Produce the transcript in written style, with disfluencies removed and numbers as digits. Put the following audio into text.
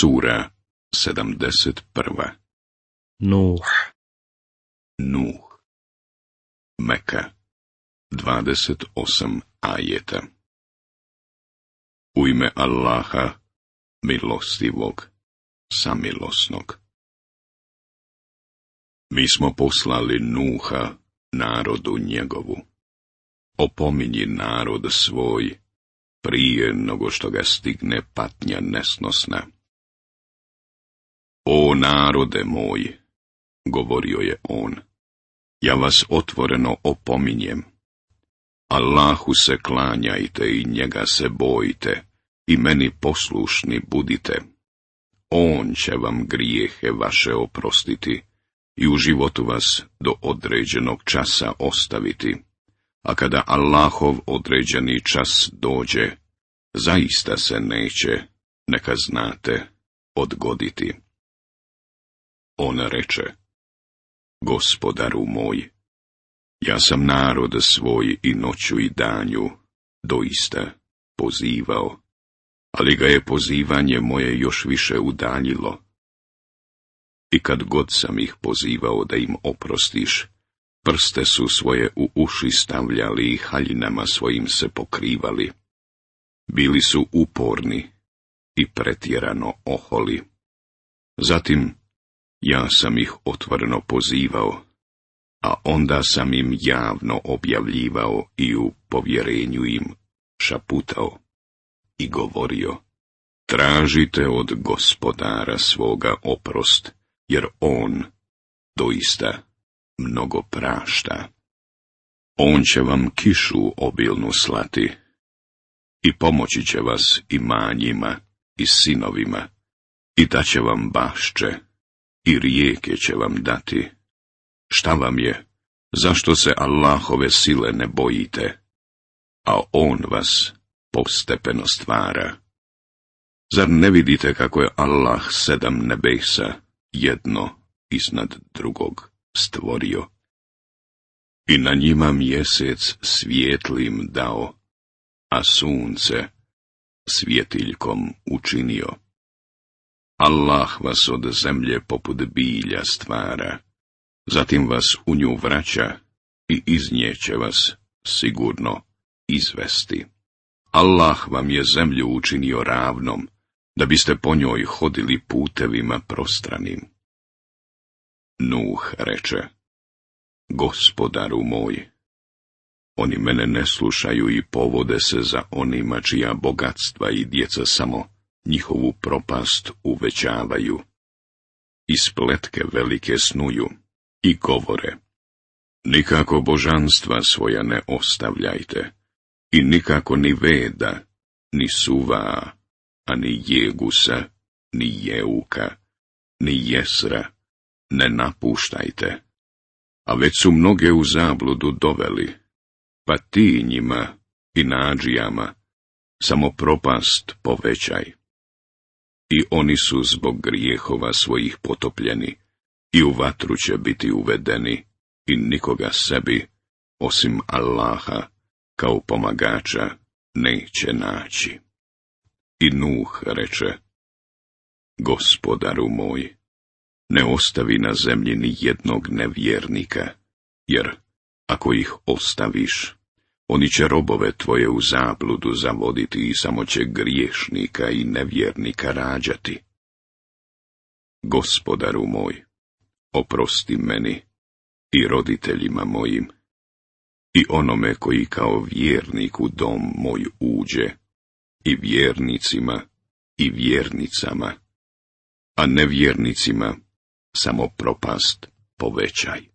Sura 71. Nuh. Meka 28 ajeta. U ime Allaha, milostivog, samilosnog. Mi smo poslali Nuha narodu njegovu. Opominji narod svoj prije nego što ga stigne patnja nesnosna. O narode moj, govorio je on, ja vas otvoreno opominjem. Allahu se klanjajte i njega se bojte i meni poslušni budite. On će vam grijehe vaše oprostiti i u životu vas do određenog časa ostaviti. A kada Allahov određeni čas dođe, zaista se neće, neka znate, odgoditi. On reče, Gospodaru moj, ja sam narod svoj i noću i danju doista pozivao, ali ga je pozivanje moje još više udaljilo. I kad god sam ih pozivao da im oprostiš, prste su svoje u uši stavljali i haljinama svojim se pokrivali. Bili su uporni i pretjerano oholi. Zatim ja sam ih otvoreno pozivao, a onda sam im javno objavljivao i u povjerenju im šaputao i govorio, tražite od Gospodara svoga oprost, jer on doista mnogo prašta. On će vam kišu obilnu slati i pomoći će vas imanjima i sinovima i daće vam bašče i rijeke će vam dati. Šta vam je? Zašto se Allahove sile ne bojite? A on vas postepeno stvara. Zar ne vidite kako je Allah 7 nebesa jedno iznad drugog stvorio? I na njima mjesec svijetlim dao, a sunce svjetiljkom učinio. Allah vas od zemlje poput bilja stvara, zatim vas u nju vraća i iz nje će vas sigurno izvesti. Allah vam je zemlju učinio ravnom, da biste po njoj hodili putevima prostranim. Nuh reče, Gospodaru moj, oni mene ne slušaju i povode se za onima čija bogatstva i djeca samo njihovu propast uvećavaju. I spletke velike snuju i govore, nikako božanstva svoja ne ostavljajte, i nikako ni Veda, ni Suva, a ni Jegusa, ni Jeuka, ni Jesra ne napuštajte, a već su mnoge u zabludu doveli, pa ti njima i nadžijama samo propast povećaj. I oni su zbog grijehova svojih potopljeni i u vatru će biti uvedeni i nikoga sebi, osim Allaha, kao pomagača neće naći. I Nuh reče, Gospodaru moj, ne ostavi na zemlji ni jednog nevjernika, jer ako ih ostaviš, oni će robove tvoje u zabludu zavoditi i samo će griješnika i nevjernika rađati. Gospodaru moj, oprosti meni i roditeljima mojim, i onome koji kao vjernik u dom moj uđe, i vjernicima i vjernicama, a nevjernicima samo propast povećaj.